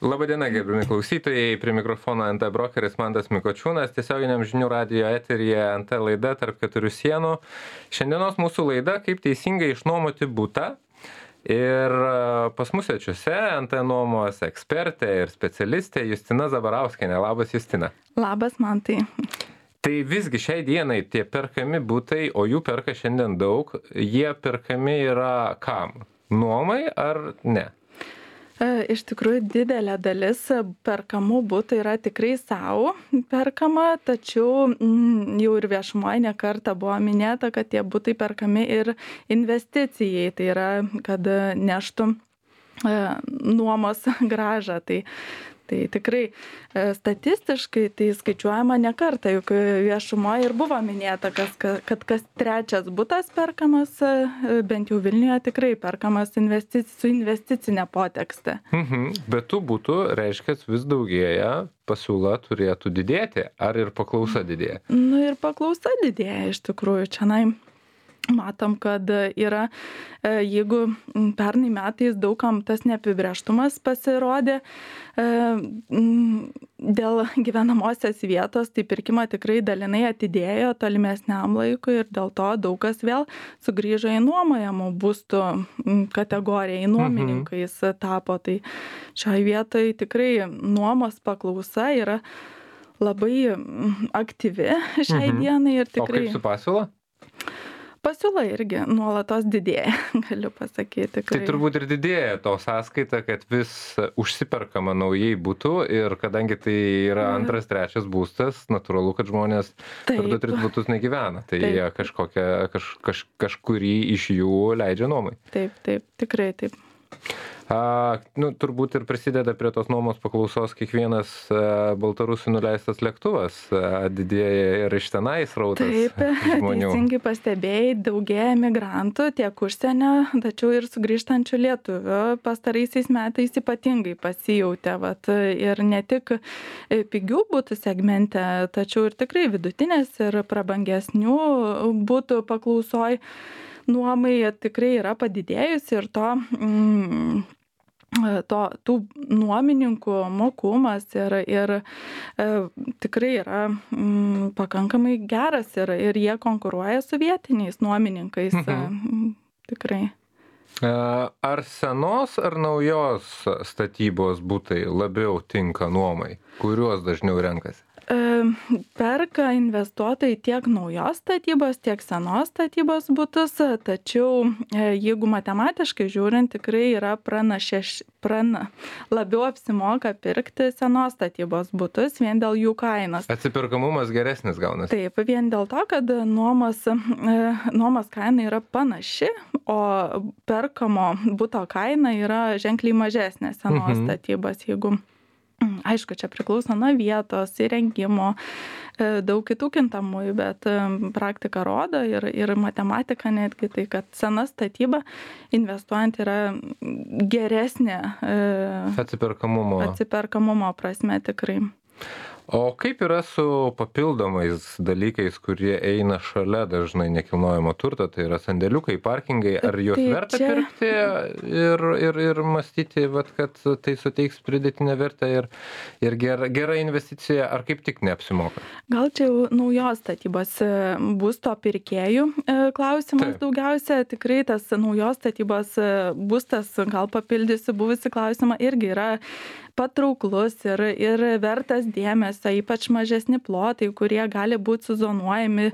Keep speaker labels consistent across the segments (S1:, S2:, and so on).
S1: Labadiena, gerbiami klausytojai, prie mikrofono NT brokeris Mantas Mikočiūnas, tiesioginiam žinių radijo eteryje NT laida tarp keturių sienų. Šiandienos mūsų laida, kaip teisingai išnuomoti butą. Ir pas mus svečiuose NT nuomos ekspertė ir specialistė Justina Zabarauskienė. Labas, Justina.
S2: Labas, Mantai.
S1: Tai visgi šiai dienai tie perkami butai, o jų perka šiandien daug, jie perkami yra kam? Nuomai ar ne?
S2: Iš tikrųjų, didelė dalis perkamų butų yra tikrai savo perkama, tačiau jau ir viešumoje ne kartą buvo minėta, kad tie butai perkami ir investicijai, tai yra, kad neštų nuomos grąžą. Tai tikrai statistiškai tai skaičiuojama ne kartą, juk viešumoje ir buvo minėta, kad kas trečias butas perkamas, bent jau Vilniuje tikrai perkamas su investicinė potekste.
S1: Bet tų butų, reiškia, vis daugėja, pasiūla turėtų didėti, ar ir paklausa didėja?
S2: Nu ir paklausa didėja iš tikrųjų. Čianai matom, kad yra, jeigu pernai metais daugam tas neapibrėžtumas pasirodė dėl gyvenamosios vietos, tai pirkimą tikrai dalinai atidėjo tolimesniam laikui ir dėl to daug kas vėl sugrįžo į nuomojamų būstų kategoriją, į nuomininkais tapo. Tai šioje vietoje tikrai nuomos paklausa yra labai aktyvi šiai dienai ir tikrai.
S1: O kaip su pasiūla?
S2: Pasiūla irgi nuolatos didėja, galiu pasakyti.
S1: Tai turbūt ir didėja to sąskaita, kad vis užsiperkama naujai būtų ir kadangi tai yra antras, trečias būstas, natūralu, kad žmonės per 2-3 būtus negyvena. Tai jie kažkurį iš jų leidžia nuomai.
S2: Taip, tikrai taip.
S1: Turbūt ir prisideda prie tos nuomos paklausos kiekvienas baltarusių nuleistas lėktuvas, didėja ir iš tenai srautas žmonių.
S2: Taip, teisingai pastebėjai, daugėja migrantų tiek užsienio, tačiau ir sugrįžtančių lietuvių pastaraisiais metais ypatingai pasijautė. Ir ne tik pigių butų segmente, tačiau ir tikrai vidutinės ir prabangesnių butų paklausoj nuomai tikrai yra padidėjusi ir tų nuomininkų mokumas ir tikrai yra pakankamai geras ir jie konkuruoja su vietiniais nuomininkais. Tikrai.
S1: Ar senos ar naujos statybos butai labiau tinka nuomai? Kuriuos dažniau renkasi?
S2: Perka investuotojai tiek naujos statybos, tiek senos statybos butus, tačiau jeigu matematiškai žiūrint, tikrai yra labiau apsimoka pirkti senos statybos butus vien dėl jų kainos.
S1: Atsiperkamumas geresnis gaunasi.
S2: Taip, vien dėl to, kad nuomos kaina yra panaši, o perkamo buto kaina yra ženkliai mažesnė senos statybos, jeigu aišku, čia priklauso nuo vietos, įrengimo, daug kitų kintamųjų, bet praktika rodo ir matematika netgi tai, kad sena statyba investuojant yra geresnė atsiperkamumo prasme tikrai.
S1: O kaip yra su papildomais dalykais, kurie eina šalia dažnai nekilnojamo turto, tai yra sandėliukai, parkingai, ar juos verta pirkti ir mąstyti, kad tai suteiks pridėtinę vertę ir gera investicija, ar kaip tik neapsimoka?
S2: Gal čia jau naujos statybos būsto pirkėjų klausimas daugiausia, tikrai tas naujos statybos būstas, gal papildysiu buvusi klausimą, irgi yra patrauklus ir vertas dėmesio, ypač mažesni plotai, kurie gali būti suzonuojami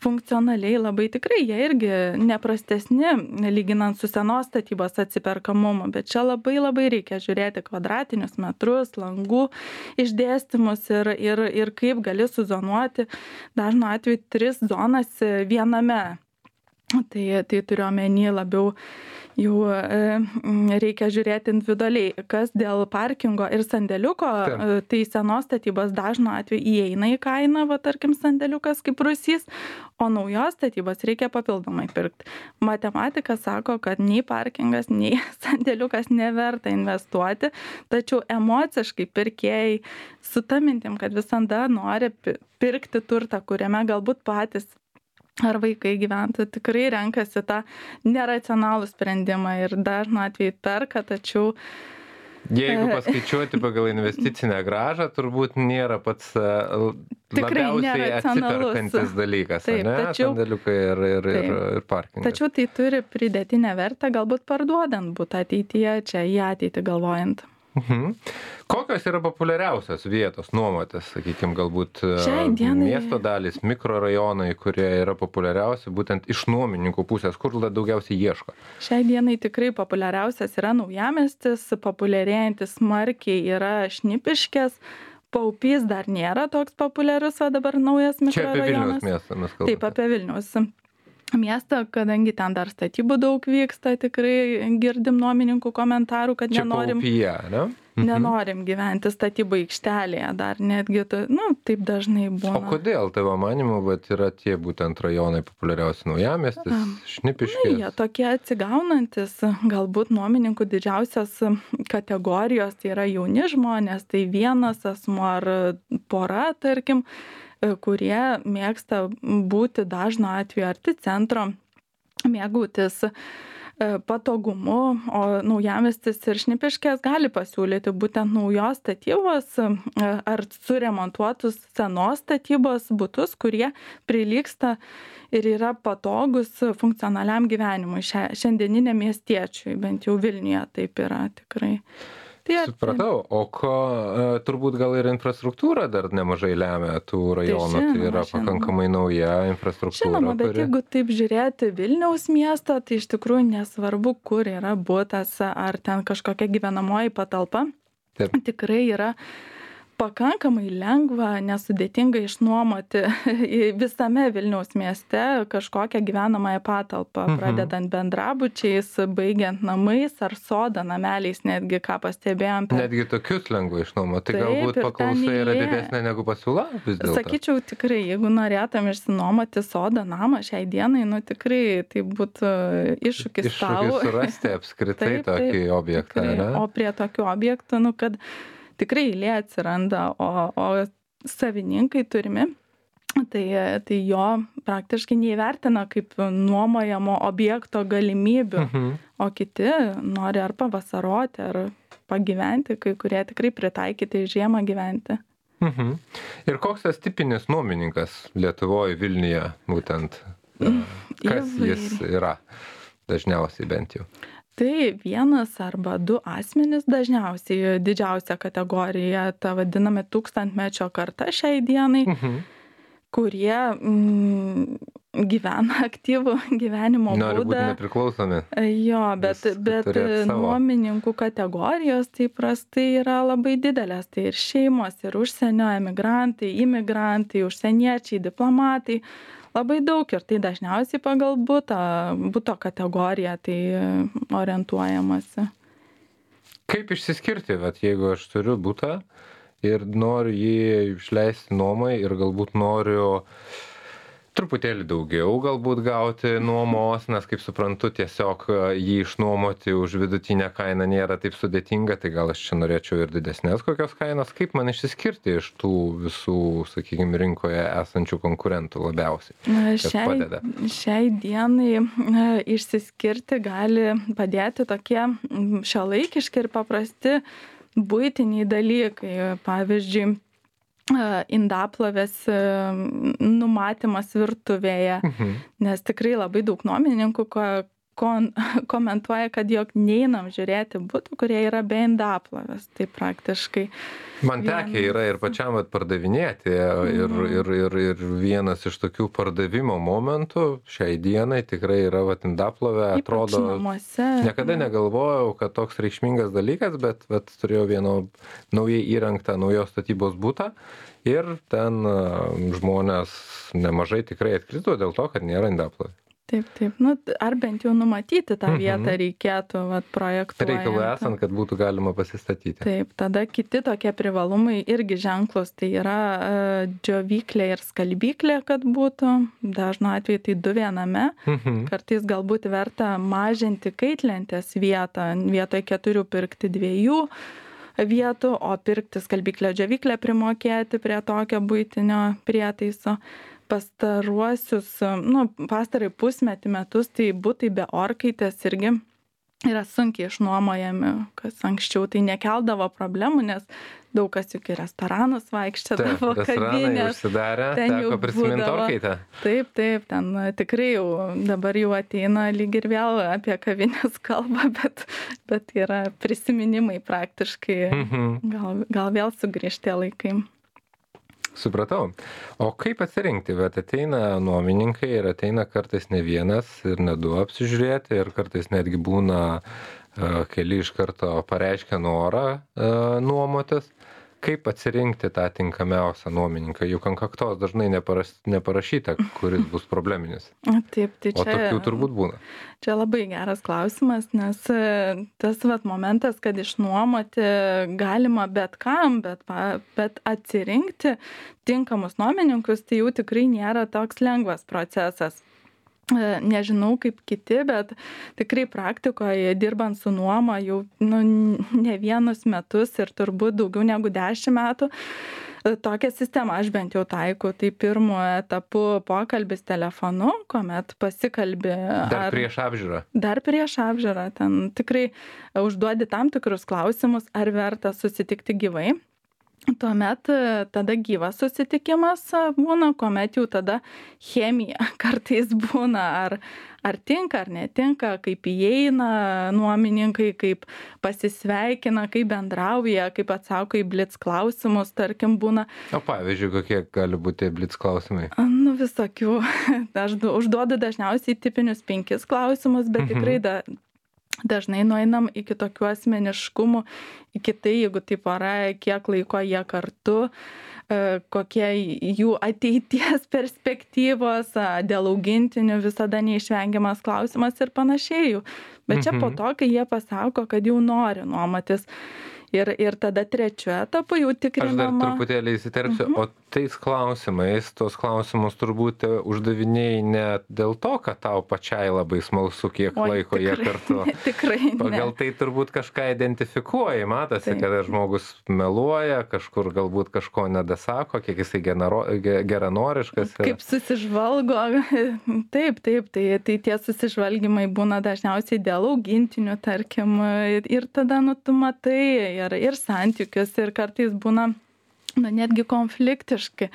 S2: funkcionaliai labai tikrai, jie irgi neprastesni lyginant su senos statybos atsiperkamumu, bet čia labai reikia žiūrėti kvadratinius metrus, langų išdėstymus ir kaip gali suzonuoti dažnu atveju 3 zonas viename. Tai turiu omeny labiau jau reikia žiūrėti individualiai, kas dėl parkingo ir sandėliuko, tai senos statybos dažnu atveju įeina į kainą, tarkim sandėliukas kaip rūsys, o naujos statybos reikia papildomai pirkti. Matematika sako, kad nei parkingas, nei sandėliukas neverta investuoti, tačiau emociškai pirkėjai su ta mintim, kad visada nori pirkti turtą, kuriame galbūt patys ar vaikai gyventų, tikrai renkasi tą neracionalų sprendimą ir dažnu atveju perka, tačiau
S1: Jeigu paskaičiuoti pagal investicinę grąžą, turbūt nėra pats labiausiai atsiperkantis dalykas,
S2: taip,
S1: ne? Sandėliukai ir parkingas.
S2: Tačiau tai turi pridėtinę vertę, galbūt parduodant butą ateityje, čia į ateitį galvojant.
S1: Kokios yra populiariausios vietos nuomotis, sakykime, galbūt miesto dalys, mikrorajonai, kurie yra populiariausi būtent iš nuomininkų pusės, kur daugiausiai ieško?
S2: Šiai dienai tikrai populiariausias yra Naujamiestis, populiarėjantis smarkiai yra Šnipiškės, Paupys dar nėra toks populiarus, o dabar naujas mikrorajonas.
S1: Čia apie Vilniaus miestą mes kalbame.
S2: Taip, apie Vilniaus miestą, kadangi ten dar statybų daug vyksta, tikrai girdim nuomininkų komentarų, kad nenorim gyventi statybų aikštelėje, dar netgi, taip dažnai būna.
S1: O kodėl tavo manimu, yra tie būtent rajonai populiariausi Naujamiestis, Šnipiškės?
S2: Jie tokie atsigaunantis, galbūt nuomininkų didžiausios kategorijos, tai yra jauni žmonės, tai vienas asmuo ar pora, tarkim, kurie mėgsta būti dažnu atveju arti centro, mėgautis patogumu, o Naujamiestis ir Šnipiškės gali pasiūlyti būtent naujos statybos ar suremontuotus senos statybos butus, kurie prilygsta ir yra patogus funkcionaliam gyvenimui šiandieniniam miestiečiui, bent jau Vilniuje taip yra tikrai.
S1: Supratau, o turbūt gal ir infrastruktūra dar nemažai lemia tų rajonų, tai yra pakankamai nauja infrastruktūra.
S2: Žinoma, bet jeigu taip žiūrėti Vilniaus miestą, tai iš tikrųjų nesvarbu, kur yra butas ar ten kažkokia gyvenamoji patalpa, tikrai yra pakankamai lengva, nesudėtinga išnuomoti visame Vilniaus mieste kažkokią gyvenamąją patalpą, pradedant bendrabučiais, baigiant namais ar sodą nameliais, netgi ką pastebėjom.
S1: Netgi tokius lengva išnuomoti, tai galbūt paklausa yra didesnė negu pasiūla vis dėlto?
S2: Sakyčiau, tikrai, jeigu norėtum išsinuomoti sodą namą šiai dienai, tai būtų iššūkis tau.
S1: Iššūkis surasti apskritai tokį objektą, ne?
S2: O prie tokių objektų, kad tikrai eilė atsiranda, o savininkai turimi, tai jo praktiškai neįvertina kaip nuomojamo objekto galimybių, o kiti nori ar pavasaroti, ar pagyventi, kai kurie tikrai pritaikyti žiemą gyventi.
S1: Ir koks tas tipinis nuomininkas Lietuvoje, Vilniuje būtent? Kas jis yra dažniausiai bent jau?
S2: Tai vienas arba du asmenys dažniausiai, didžiausia kategorija, ta vadiname 1000-mečio karta šiai dienai, kurie gyvena aktyvų gyvenimo būdą.
S1: Nori būti nepriklausomi.
S2: Jo, bet nuomininkų kategorijos tai prastai yra labai didelės. Tai ir šeimos, ir užsienio emigrantai, imigrantai, užsieniečiai, diplomatai. Labai daug ir tai dažniausiai pagal buto kategoriją tai orientuojamasi.
S1: Kaip išsiskirti, jeigu aš turiu butą ir noriu jį išleisti nuomai ir galbūt noriu truputėlį daugiau galbūt gauti nuomos, nes kaip suprantu, tiesiog jį išnuomoti už vidutinę kainą nėra taip sudėtinga, tai gal aš čia norėčiau ir didesnės kokios kainos. Kaip man išsiskirti iš tų visų, sakykime, rinkoje esančių konkurentų labiausiai? Kas padeda?
S2: Šiai dienai išsiskirti gali padėti tokie šiuolaikiški ir paprasti buitiniai dalykai. Pavyzdžiui, indaplovės numatymas virtuvėje, nes tikrai labai daug nuomininkų komentuoja, kad jog neinam žiūrėti butų, kurie yra be indaplovės. Tai praktiškai.
S1: Man tekę yra ir pačiam pardavinėti ir vienas iš tokių pardavimo momentų šiai dienai tikrai yra indaplovė, atrodo, niekada negalvojau, kad toks reikšmingas dalykas, bet turėjau vieną naujai įrengtą naujos statybos butą ir ten žmonės nemažai tikrai atkrito dėl to, kad nėra indaplovė.
S2: Taip. Ar bent jau numatyti tą vietą reikėtų projektuojant.
S1: Reikalų esant, kad būtų galima pasistatyti.
S2: Taip, tada kiti tokie privalumai irgi ženklus, tai yra džiovyklė ir skalbyklė, kad būtų. Dažnu atveju tai 2 viename. Kartais galbūt verta mažinti kaitlentės vietą, vietoj 4 pirkti 2 vietų, o pirkti skalbyklę džiovyklę primokėti prie tokio buitinio prietaiso. Pastarai pusmetį metus, tai butai be orkaitės irgi yra sunkiai išnuomojami, kas anksčiau tai nekeldavo problemų, nes daug kas juk į restoranus vaikščiodavo,
S1: kavinės užsidarę, teko prisiminti orkaitę.
S2: Taip, ten tikrai jau dabar jau ateina lyg ir vėl apie kavinės kalbą, bet yra prisiminimai praktiškai, gal vėl sugrįžti laikai.
S1: Supratau. O kaip atsirinkti? Bet ateina nuomininkai ir ateina kartais ne vienas ir ne du apsižiūrėti ir kartais netgi būna keli iš karto pareiškia norą nuomotis. Kaip atsirinkti tą tinkamiausią nuomininką? Juk ant kaktos dažnai neparašyta, kuris bus probleminis.
S2: Taip, tai čia,
S1: o tokių turbūt būna.
S2: Čia labai geras klausimas, nes tas momentas, kad išnuomoti galima bet kam, bet atsirinkti tinkamus nuomininkus, tai jau tikrai nėra toks lengvas procesas. Nežinau kaip kiti, bet tikrai praktikoje dirbant su nuoma jau ne vienus metus ir turbūt daugiau negu 10 metų. Tokią sistemą aš bent jau taikau. Tai pirmu etapu pokalbis telefonu, kuomet pasikalbi.
S1: Dar prieš apžiūrą.
S2: Dar prieš apžiūrą. Ten tikrai užduodi tam tikrus klausimus, ar verta susitikti gyvai. Tuomet tada gyvas susitikimas būna, kuomet jau tada chemija kartais būna, ar tinka, ar netinka, kaip įeina nuomininkai, kaip pasisveikina, kaip bendrauja, kaip atsako į blitz klausimus, tarkim, būna.
S1: O pavyzdžiui, kokie gali būti blitz klausimai?
S2: Visokių. Aš užduodu dažniausiai tipinius 5 klausimus, bet tikrai dažnai nueinam iki tokių asmeniškumų, iki tai, jeigu tai pora, kiek laiko jie kartu, kokie jų ateities perspektyvos, dėl augintinių visada neišvengiamas klausimas ir panašiai. Bet čia po to, kai jie pasako, kad jau nori nuomotis. Ir tada trečiu etapu jau tikrinama.
S1: Aš dar truputėlį įsiterpsiu, o tais klausimais, tos klausimus turbūt uždavinėjai ne dėl to, kad tau pačiai labai smalsu, kiek laiko jie kartu.
S2: Tikrai ne.
S1: Pagal tai turbūt kažką identifikuoji, matosi, kad žmogus meluoja, kažkur galbūt kažko nedasako, kiek jisai geranoriškas.
S2: Kaip susižvalgo. Taip, tai tie susižvalgymai būna dažniausiai dėl augintinių, tarkim, ir tada tu matai ir santykius, ir kartais būna netgi konfliktiški,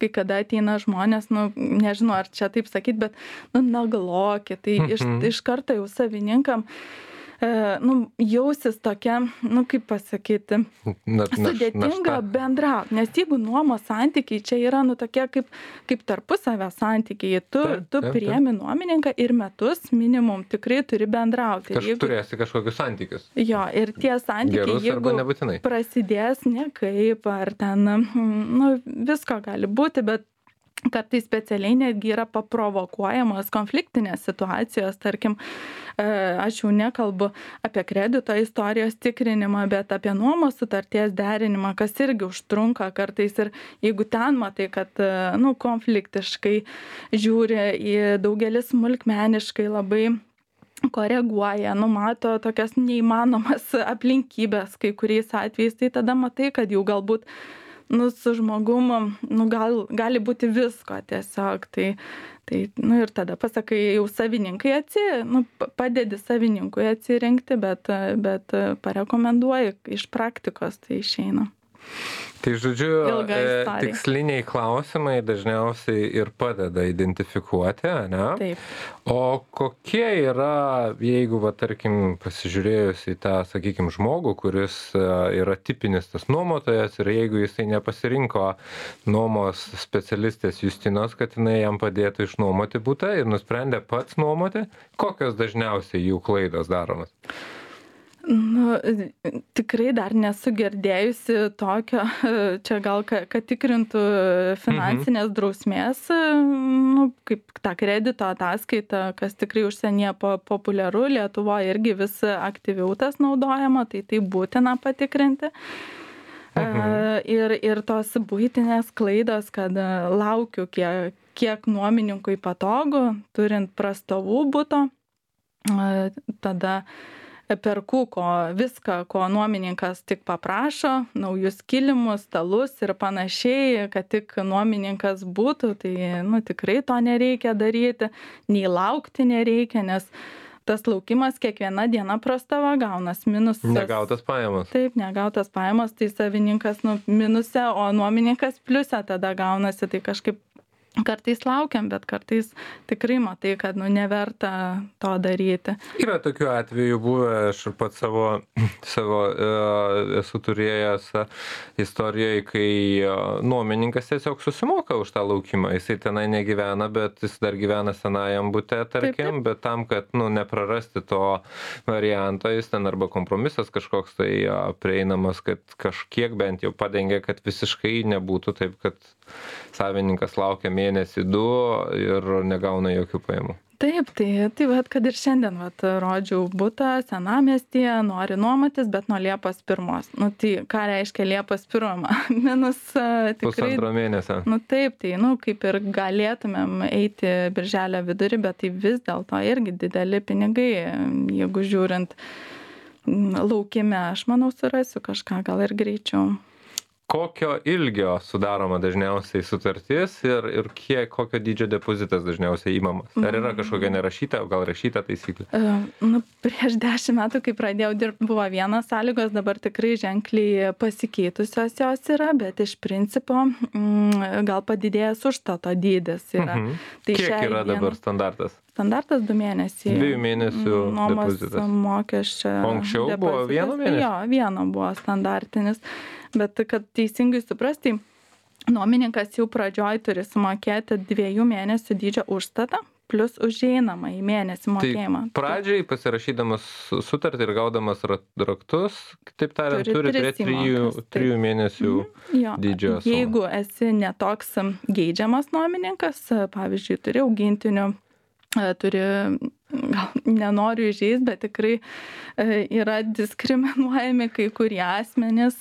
S2: kai kada ateina žmonės, nežinau, ar čia taip sakyt, bet nagloki, tai iš karto jau savininkam jausis tokia, kaip pasakyti, sudėtinga bendrauti, nes jeigu nuomos santykiai čia yra tokie kaip tarpusavio santykiai, tu priemi nuomininką ir metus minimum tikrai turi bendrauti.
S1: Turėsi kažkokius santykius.
S2: Jo, ir tie santykiai, jeigu prasidės nekaip, ar ten, visko gali būti, bet kartais specialiai netgi yra paprovokuojamos konfliktinės situacijos, tarkim, aš jau nekalbu apie kredito istorijos tikrinimą, bet apie nuomos sutarties derinimą, kas irgi užtrunka kartais ir jeigu ten matai, kad konfliktiškai žiūri į daugelis smulkmeniškai labai koreguoja, numato tokias neįmanomas aplinkybės kai kuriais atvejais, tai tada matai, kad jau galbūt su žmogum, gali būti visko tiesiog, tai ir tada pasakai, jau savininkai padedi savininkui atsirinkti, bet parekomenduoji iš praktikos, tai išeina.
S1: Tai žodžiu, tiksliniai klausimai dažniausiai ir padeda identifikuoti, ne?
S2: Taip.
S1: O kokie yra, jeigu, tarkim, pasižiūrėjus į tą, sakykime, žmogų, kuris yra tipinis tas nuomotojas ir jeigu jisai nepasirinko nuomos specialistės Justinos, kad jinai jam padėtų išnuomoti butą ir nusprendė pats nuomoti, kokios dažniausiai jų klaidos daromas?
S2: Tikrai dar nesu girdėjusi tokio, čia gal, kad tikrintų finansinės drausmės, kaip tą kredito ataskaitą, kas tikrai užsienyje populiaru, Lietuvoje irgi vis aktyviau tas naudojama, tai būtina patikrinti. Ir tos buitinės klaidos, kad laukiu, kiek nuomininkui patogu, turint prastovų buto, tada perku viską, ko nuomininkas tik paprašo, naujus kilimus, stalus ir panašiai, kad tik nuomininkas būtų, tai tikrai to nereikia daryti, nei laukti nereikia, nes tas laukimas kiekviena diena prastava gaunas minusas.
S1: Negautas pajamos.
S2: Taip, negautas pajamos, tai savininkas minuse, o nuomininkas pliuse tada gaunasi, tai kažkaip kartais laukiam, bet kartais tikrai matai, kad neverta to daryti.
S1: Yra tokių atvejų buvę, aš pats savo esu turėjęs istorijoje, kai nuomininkas tiesiog susimoka už tą laukimą. Jisai tenai negyvena, bet jis dar gyvena senajam bute, tarkim, taip. Bet tam, kad neprarasti to varianto, jis ten arba kompromisas kažkoks tai prieinamas, kad kažkiek bent jau padengia, kad visiškai nebūtų taip, kad savininkas laukia mėnesį 2 ir negauna jokių pajamų.
S2: Taip, tai vat, kad ir šiandien rodžiau butą senamiestyje, nori nuomotis, bet nuo Liepos 1. Tai ką reiškia Liepos 1? Minus tikrai...
S1: 1,5 mėnesio.
S2: Taip, tai kaip ir galėtumėm eiti birželio vidurį, bet tai vis dėlto irgi dideli pinigai, jeigu žiūrint laukime, aš manau surasiu kažką, gal ir greičiau.
S1: Kokio ilgio sudaroma dažniausiai sutartis ir kokio dydžio depozitas dažniausiai įmamas? Ar yra kažkokia nerašyta, o gal rašyta taisyklė?
S2: Prieš 10 metų, kai pradėjau dirbti, buvo vienas sąlygos, dabar tikrai ženkliai pasikeitusios jos yra, bet iš principo gal padidėjęs užstato dydis yra. Tai
S1: kiek yra dabar standartas?
S2: Standartas 2 mėnesiai.
S1: 2 mėnesių depozitas.
S2: Nuomos mokesčio.
S1: O anksčiau buvo 1 mėnesį?
S2: Jo, 1 buvo standartinis. Bet kad teisingai suprasti, nuomininkas jau pradžioj turi sumokėti 2 mėnesių dydžio užstatą plus užeinamą į mėnesį mokėjimą.
S1: Tai pradžiai pasirašydamas sutartį ir gaudamas raktus, taip tariant, turi turėti 3 mėnesių dydžio sumą.
S2: Jeigu esi netoks geidžiamas nuomininkas, pavyzdžiui, turi augintinių, turi, gal nenoriu įžeisti, bet tikrai yra diskriminuojami kai kurie asmenys,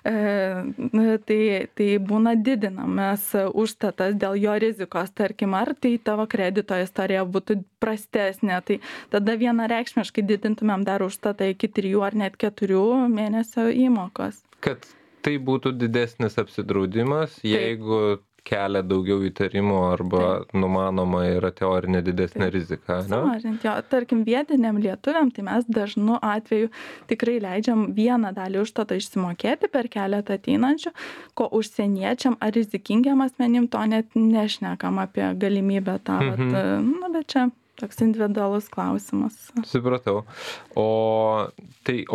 S2: tai būna didinamas užstatas dėl jo rizikos, tarkim, ar tai tavo kredito istorija būtų prastesnė, tai tada vienareikšmiškai didintumėm dar užstatą iki 3 ar net 4 mėnesio įmokos.
S1: Kad tai būtų didesnis apsidraudimas, jeigu kelia daugiau įtarimų arba numanoma yra teorinė didesnė rizika.
S2: Sumažinti, tarkim, vietiniam lietuviam, tai mes dažnu atveju tikrai leidžiam vieną dalį užstatą išsimokėti per keletą ateinančių, ko užsieniečiam ar rizikingiam asmenim to net nešnekam apie galimybę tą, bet čia toks individualus klausimas.
S1: Supratau. O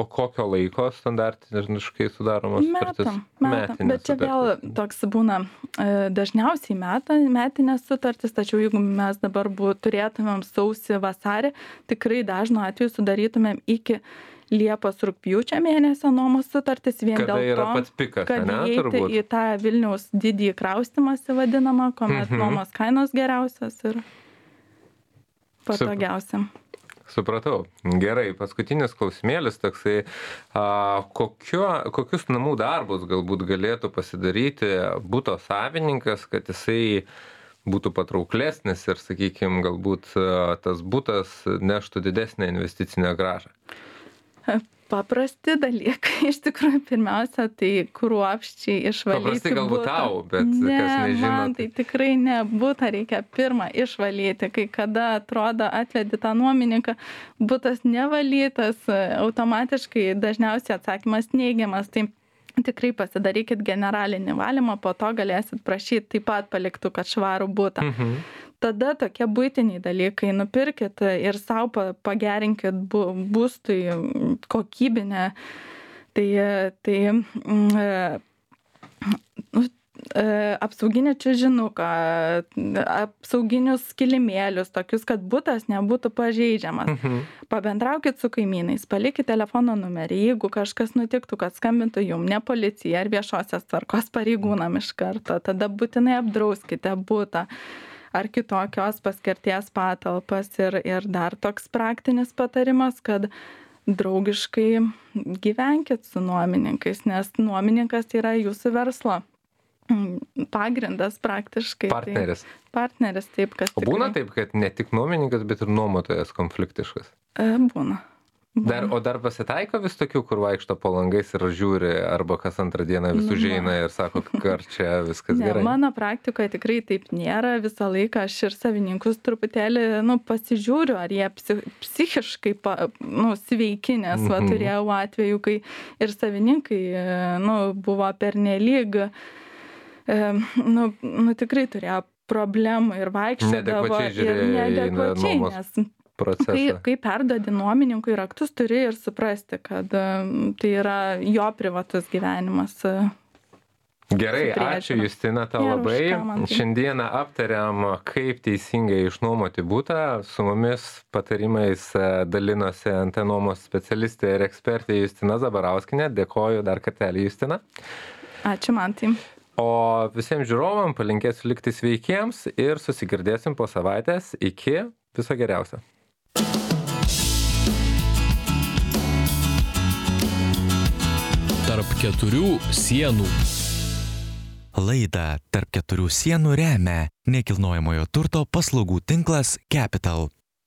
S1: kokio laiko standartiškai sudaromos sutartys?
S2: Metam. Bet čia vėl toks būna dažniausiai metinės sutartys, tačiau jeigu mes dabar turėtumėm sausį vasarį, tikrai dažnu atveju sudarytumėm iki Liepos rugpjūčio mėnesio nuomos sutartis vien
S1: kada
S2: dėl to,
S1: pats pikas,
S2: kad įeiti į tą Vilniaus didįjį kraustymąsi vadinamą, kuomet nuomos kainos geriausios ir patogiausiam.
S1: Supratau. Gerai, paskutinis klausimėlis toksai, kokius namų darbus galbūt galėtų pasidaryti buto savininkas, kad jisai būtų patrauklesnis ir, sakykime, galbūt tas butas neštų didesnę investicinę grąžą?
S2: Paprasti dalykai, iš tikrųjų, pirmiausia, tai kruopščiai išvalyti.
S1: Paprastai galbūt
S2: butą.
S1: tau, bet kas nežino.
S2: Man tai tikrai ne, butą reikia pirmą išvalyti, kai kada atrodo atvedi tą nuomininką, butas nevalytas, automatiškai dažniausiai atsakymas neigiamas, tai tikrai pasidarykit generalinį valymą, po to galėsit prašyti taip pat paliktų, kad švarų butą. Tada tokie buitiniai dalykai, nupirkit ir savo pagerinkit būstui kokybinę, apsauginį čiužinuką, apsauginius kilimėlius, tokius, kad butas nebūtų pažeidžiamas. Pabendraukit su kaimynais, palikit telefono numerį, jeigu kažkas nutiktų, kad skambintų jum, ne policija ar viešosios tvarkos pareigūnam iš karto, tada būtinai apdrauskite butą ar kitokios paskirties patalpas ir dar toks praktinis patarimas, kad draugiškai gyvenkit su nuomininkais, nes nuomininkas yra jūsų verslo pagrindas praktiškai.
S1: Partneris.
S2: Partneris, taip, kas
S1: O būna taip, kad ne tik nuomininkas, bet ir nuomotojas konfliktiškas?
S2: Būna.
S1: Dar pasitaiko vis tokių, kur vaikšto po langais ir žiūri, arba kas antrą dieną vis užeina ir sako, ar čia viskas gerai?
S2: Mano praktikoje tikrai taip nėra. Visą laiką aš ir savininkus truputėlį pasižiūriu, ar jie psichiškai sveiki, nes turėjau atveju, kai ir savininkai buvo pernelyg, tikrai turėjo problemų ir vaikščiodavo ir neadekvačiai, nes kai perduodi nuomininkui raktus, turi ir suprasti, kad tai yra jo privatus gyvenimas.
S1: Gerai, ačiū Justina tau labai. Šiandieną aptariam, kaip teisingai išnuomoti butą. Su mumis patarimais dalinosi NT nuomos specialistė ir ekspertė Justina Zabarauskienė. Dėkoju dar kartelį, Justina.
S2: Ačiū, Mantai.
S1: O visiems žiūrovam palinkėsiu likti sveikiems ir susigirdėsim po savaitės. Iki, viso geriausio.
S3: Tarp keturių sienų.
S4: Laidą Tarp keturių sienų remia nekilnojamojo turto paslaugų tinklas Capital.